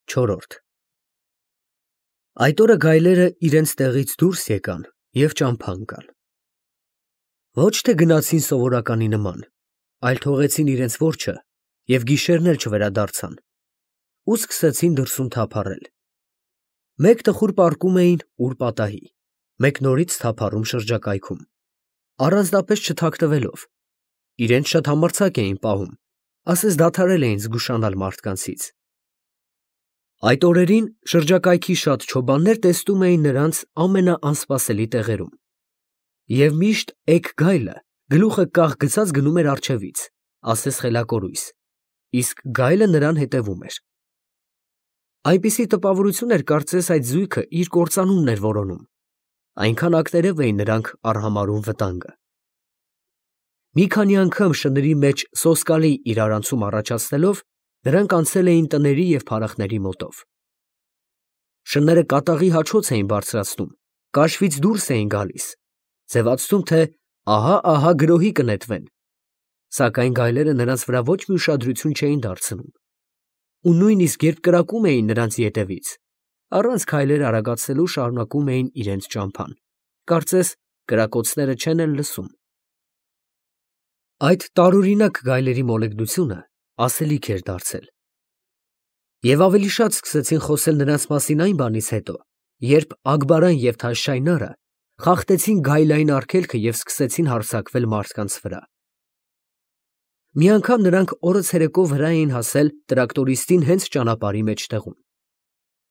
Չորրորդ Այդ օրը գայլերը իրենց տեղից դուրս եկան և ճամփա ընկան։ Ոչ թե գնացին սովորականի նման, այլ թողեցին իրենց որջը և գիշերն էլ չվերադարձան ու սկսեցին դրսում թափառել։ Մեկ տխուր պառկում էին ուր պատահի, մեկ նորից թափառում շրջակայքում, առանձնապես չթաքնվելով, իրենց շատ համարձակ էին պահում, ասես դադարել էին զգուշանալ մարդկանցից։ Այդ օրերին շրջակայքի շատ չոբաններ տեսնում էին նրանց ամենաանսպասելի տեղերում, և միշտ էգ գայլը գլուխը կախ գցած գնում էր առջևից, ասես խելակորույս, իսկ գայլը նրան հետևում էր։ Այնպիսի տպավորություն էր, կարծես այդ զույգը իր կործանումն էր որոնում, այնքան ակտերև էին նրանք արհամարհում վտանգը։ Մի քանի անգամ շների մեջ սոսկալի իրարանցում առաջացնելով, նրանք անցել էին տների և փարախների մոտով։ Շները կատաղի հաչոց էին բարձրացնում, կաշվից դուրս էին գալիս, ձևացնում, թե ահա գրոհի կնետվեն, սակայն գայլերը նրանց վրա ոչ մի ուշադրություն չէին դարձնում, ու նույնիսկ երբ կրակում էին նրանց ետևից, առանց քայլեր արագացնելու շարունակում էին իրենց ճամփան, կարծես կրակոցները չեն էլ լսում։ Այդ տարօրինակ գայլերի մոլեգնությունը ասելիք էր դարձել։ Եվ ավելի շատ սկսեցին խոսել նրանց մասին այն բանից հետո, երբ Ագբարան և Թաշշայնարը խախտեցին գայլային արգելքը և սկսեցին հարձակվել մարդկանց վրա։ Մի անգամ նրանք օրը ցերեկով վրա էին հասել տրակտորիստին հենց ճանապարհի մեջտեղում։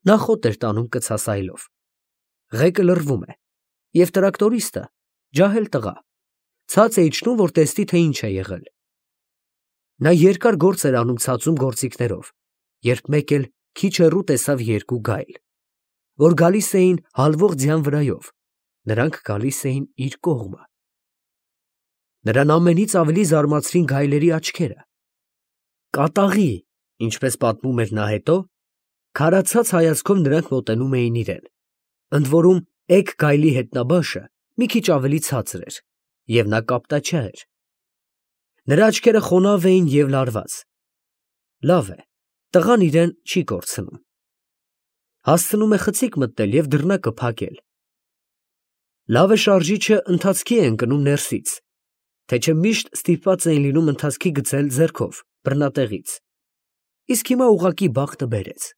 Նա խոտ էր տանում կցասայլով։ Ղեկը լռվում է, և տրակտորիստը, ջահել տղա, ցած է իջնում, որ տեսնի, թե ինչ է եղել։ Նա երկար գործ էր անում ցածում գործիքներով, երբ մեկ էլ քիչ հեռու տեսավ երկու գայլ, որ գալիս էին հալվող ձյան վրայով, նրանք գալիս էին իր կողմը։ Նրան ամենից ավելի զարմացրին գայլերի աչքերը։ Կատաղի, ինչպես պատմում էր նա հետո, քարացած հայացքով նրանք մոտենում էին իրեն, ընդ որում էգ գայլի հետնաբաշը մի քիչ ավելի ցածր էր, և նա կապտաչյա էր։ Նրա աչքերը խոնավ էին և լարված։ Լավ է, տղան իրեն չի կորցնում։ Հասցնում է խցիկ մտնել և դռնակը փակել։ Լավ է շարժիչը ընթացքի է ընկնում ներսից, թե չէ միշտ ստիպված էին լինում ընթացքի գցել ձեռքով, բռնատեղից։ Իսկ հիմա ուղղակի բախտը բերեց։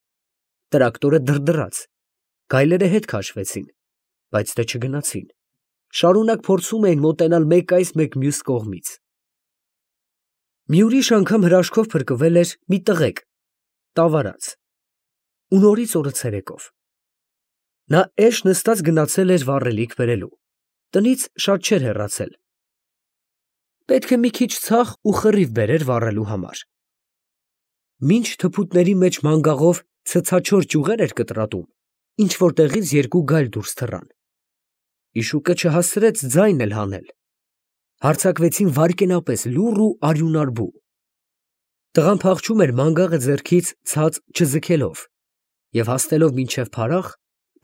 Տրակտորը դրդռաց, գայլերը հետ քաշվեցին, բայց դե չգնացին, շարունակ փորձում էին մոտենալ մեկ այս, մեկ մյուս կողմից։ Մի ուրիշ անգամ հրաշքով փրկվել էր մի տղեկ, տավարած, ու նորից օրը ցերեկով։ Նա էշ նստած գնացել էր վառելիք բերելու, տնից շատ չէր հեռացել։ Պետք է մի քիչ ցախ ու խռիվ բերեր վառելու համար։ Մինչ թփուտների մեջ մանգաղով ցցաչոր ճյուղեր էր կտրատում, ինչ֊որ տեղից երկու գայլ դուրս թռան։ Իշուկը չհասցրեց ձայն էլ հանել։ Հարձակվեցին վայրկենապես լուռ ու արյունարբու։ Տղան փախչում էր մանգաղը ձեռքից ցած չձգելով և հասնելով մինչև փարախ,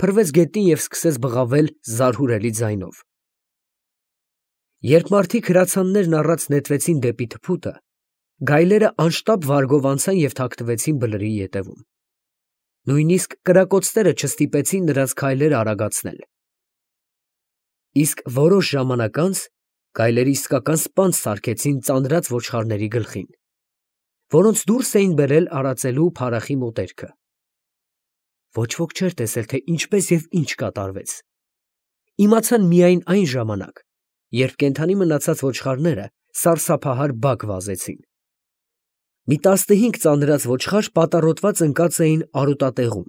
փռվեց գետնին և սկսեց բղավել զարհուրելի ձայնով։ Երբ մարդիկ հրացաններն առած նետվեցին դեպի թփուտը, գայլերը անշտապ վարգով անցան և թաքնվեցին բլրի ետևում։ Նույնիսկ կրակոցները չստիպեցին նրանց քայլերը արագացնել։ Իսկ որոշ ժամանակ անց գայլերը իսկական սպանց սարքեցին ծանրած ոչխարների գլխին, որոնց դուրս էին բերել արածելու փարախի մոտերքը։ Ոչ ոք չէր տեսել, թե ինչպես և ինչ կատարվեց։ Իմացան միայն այն ժամանակ, երբ կենդանի մնացած ոչխարները սարսափահար բակ վազեցին։ Մի 15 ծանրած ոչխար պատառոտված ընկած էին արոտատեղում։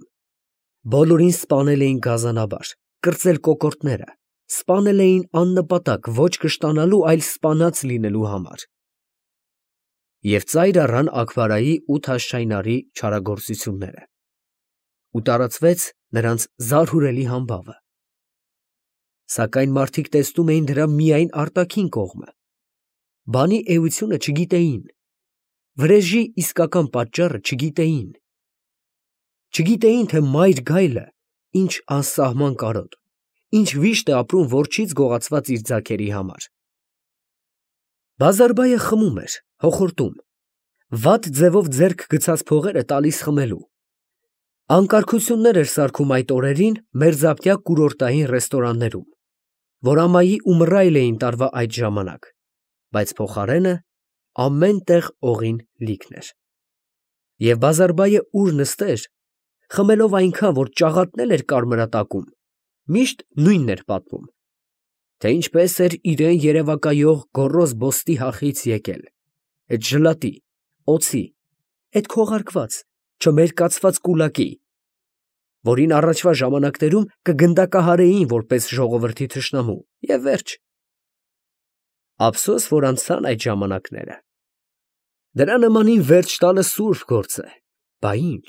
Բոլորին սպանել էին գազանաբար, կրծել կոկորդները, սպանել էին աննպատակ, ոչ կշտանալու, այլ սպանած լինելու համար։ Եվ ծայր առան Աքբարայի ու Թաշշայնարի չարագործությունները, ու տարածվեց նրանց զարհուրելի համբավը։ Սակայն մարդիկ տեսնում էին դրա միայն արտաքին կողմը, բանի էությունը չգիտեին, վրեժի իսկական պատճառը չգիտեին։ Չգիտեին, թե մայր գայլը ինչ անսահման կարոտ, ինչ վիշտ է ապրում որջից գողացված իր ձագերի համար։ Բազարբայը խմում էր, հոխորտում, վատ ձևով ձեռք գցած փողերը տալիս խմելու։ Անկարգություններ էր սարքում այդ օրերին մերձապտյա կուրորտային ռեստորաններում, որ ամայի ու մռայլ էին տարվա այդ ժամանակ, բայց փոխարենը ամեն տեղ օղին լիքն էր։ Եվ Բազարբայը ուր նստեր, խմելով այնքան, որ ճաղատնել էր կարմրատակում, միշտ նույնն էր պատմում, թե ինչպես էր իրեն երևակայող գոռոզ բոստի հախից եկել, այդ ժլատի, օձի, այդ քողարկված, չմերկացված կուլակի, որին առաջվա ժամանակներում կգնդակահարեին որպես ժողովրդի թշնամու, և վերջ։ Ափսոս, որ անցան այդ ժամանակները։ Դրա նմանին վերջ տալը սուրբ գործ է, բա ինչ։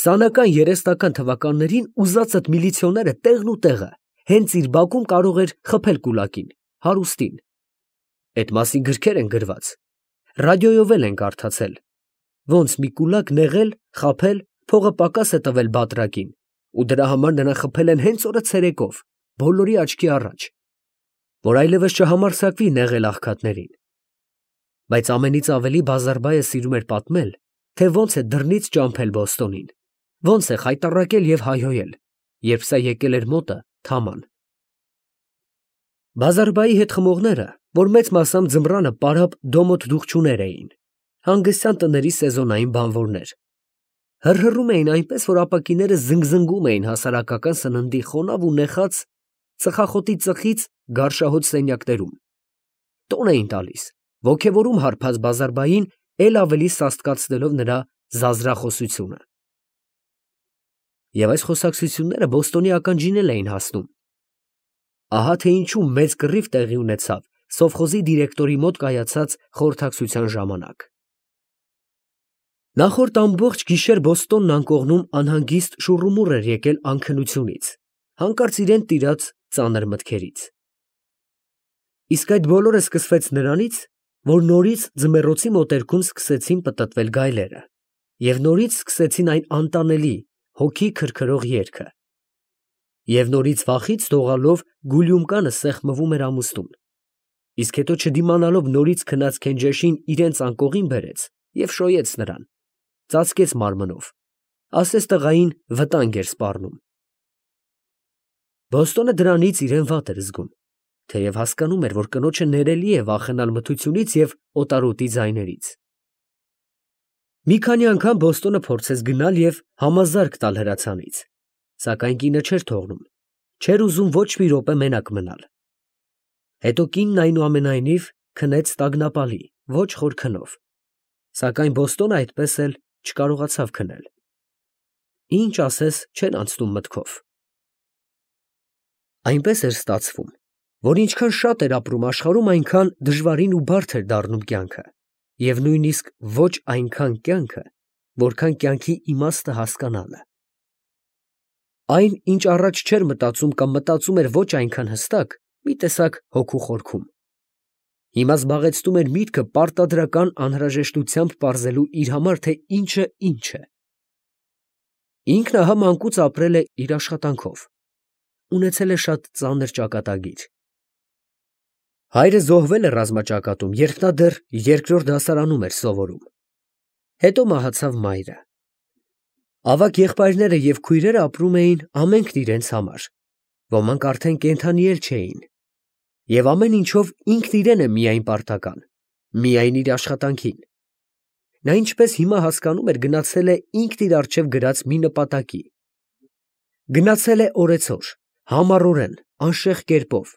20-ական, 30-ական թվականներին ուզածդ միլիցիոները տեղն ու տեղը հենց իր բակում կարող էր խփել կուլակին, հարուստին։ Այդ մասին գրքեր են գրված, ռադիոյով էլ են կարդացել, ոնց մի կուլակ նեղել, խաբել, փողը պակաս է տվել բատրակին, ու դրա համար նրան խփել են հենց օրը ցերեկով, բոլորի աչքի առաջ, որ այլևս չհամարձակվի նեղել աղքատներին։ Բայց ամենից ավելի Բազարբայը սիրում էր պատմել, թե ոնց է դռնից ճամփել Բոստոնին, ոնց է խայտառակել և հայհոյել, երբ սա եկել էր մոտը թաման։ Բազարբայի հետ խմողները, որ մեծ մասամբ ձմռանը պարապ դոմոթ դուղջուներ էին, հանգստյան տների սեզոնային բանվորներ, հռհռում էին այնպես, որ ապակիները զնգզնգում էին հասարակական սննդի խոնավ ու նեխած ծխախոտի ծխից գարշահոտ սենյակներում, տոն էին տալիս, ոգևորում հարբած Բազարբային էլ ավելի սաստկացնելով նրա զազրախոսությունը։ Եվ այս խոսակցությունները Բոստոնի ականջին էլ էին հասնում։ Ահա թե ինչու մեծ կռիվ տեղի ունեցավ սովխոզի դիրեկտորի մոտ կայացած խորհրդակցության ժամանակ։ Նախորդ ամբողջ գիշեր Բոստոնն անկողնում անհանգիստ շուռումուռ էր եկել անքնությունից, հանկարծ իրեն տիրած ծանր մտքերից։ Իսկ այդ բոլորը սկսվեց նրանից, որ նորից ձմեռոցի մոտերքում սկսեցին պտտվել գայլերը, և նորից սկսեցին այն անտանելի, հոգի քրքրող երգը, և նորից վախից դողալով Գուլյումկանը սեղմվում էր ամուստուն, իսկ հետո չդիմանալով նորից քնած Քենջեշին իրենց անկողին բերեց և շոյեց նրան, ծածկեց մարմնով, ասես տղային վտանգ էր սպառնում։ Բոստոնը դրանից իրեն վատ էր զգում, թեև հասկանում էր, որ կնոջը ներելի է վախենալ մթությունից և օտարոտի ձայներից։ Մի քանի անգամ Բոստոնը փորձեց գնալ և համազարկ տալ հրացանից, սակայն կինը չէր թողնում, չէր ուզում ոչ մի րոպե մենակ մնալ։ Հետո կինն այնուամենայնիվ քնեց տագնապալի, ոչ խոր քնով, սակայն Բոստոնը այդպես էլ չկարողացավ քնել։ Ինչ ասես չեն անցնում մտքով։ Այնպես էր ստացվում, որ ինչքան շատ էր ապրում աշխարհում, այնքան դժվարին ու բարդ էր դառնում կյանքը, և նույնիսկ ոչ այնքան կյանքը, որքան կյանքի իմաստը հասկանալը։ Այն, ինչ առաջ չէր մտածում կամ մտածում էր ոչ այնքան հստակ, մի տեսակ հոգու խորքում, հիմա զբաղեցնում էր միտքը պարտադրական անհրաժեշտությամբ պարզելու իր համար, թե ինչը ինչ է։ Ինքն ահա մանկուց ապրել է իր աշխատանքով, ունեցել է շատ ծանր ճակատագիր։ Հայրը զոհվել է ռազմաճակատում, երբ նա դեռ երկրորդ դասարանում էր սովորում։ Հետո մահացավ մայրը։ Ավագ եղբայրները և քույրերը ապրում էին ամենքն իրենց համար, ոմանք արդեն կենդանի էլ չէին, և ամեն ինչով ինքն իրեն է միայն պարտական, միայն իր աշխատանքին։ Նա ինչպես հիմա հասկանում էր, գնացել է ինքն իր առջև գրած մի նպատակի։ Գնացել է օրեցօր, համառորեն, անշեղ կերպով,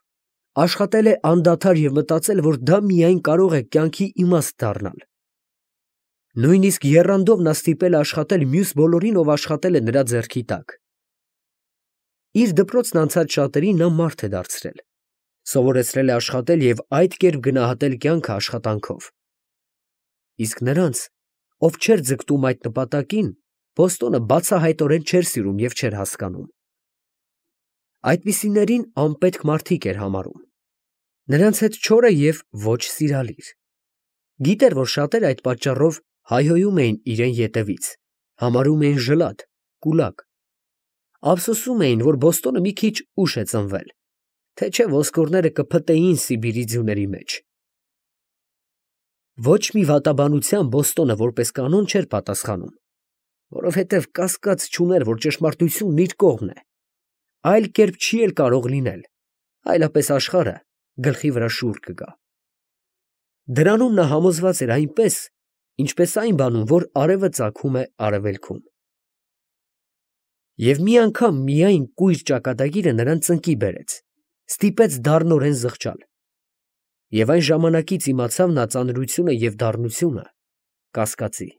աշխատել է անդադար և մտածել, որ դա միայն կարող է կյանքի իմաստ դառնալ։ Նույնիսկ եռանդով նա ստիպել է աշխատել մյուս բոլորին, ով աշխատել է նրա ձեռքի տակ։ Իր դպրոցն անցած շատերին նա մարդ է դարձրել, սովորեցրել է աշխատել և այդ կերպ գնահատել կյանքը աշխատանքով։ Իսկ նրանց, ով չէր ձգտում այդ նպատակին, Բոստոնը բացահայտորեն չէր սիրում և չէր հասկանում։ Այդպիսիներին անպետք մարդիկ էր համարում, նրանց հետ չորը և ոչ սիրալիր։ Գիտեր, որ շատերը այդ պատճառով հայհոյում էին իրեն ետևից, համարում էին ժլատ, կուլակ։ Ափսոսում էին, որ Բոստոնը մի քիչ ուշ է ծնվել, թե չէ ոսկորները կփտեին Սիբիրի ձյուների մեջ։ Ոչ մի վատաբանության Բոստոնը որպես կանոն չէր պատասխանում, որովհետև կասկած չուներ, որ ճշմարտությունն իր կողմն է։ Այլ կերպ չի էլ կարող լինել, այլապես աշխարհը գլխի վրա շուռ կգա։ Դրանում նա համոզված էր այնպես, ինչպես այն բանում, որ արևը ծագում է արևելքում։ Եվ մի անգամ միայն կույր ճակատագիրը նրան ծնկի բերեց, ստիպեց դառնորեն զղջալ։ Եվ այն ժամանակից իմացավ նա ծանրությունը և դառնությունը կասկածի։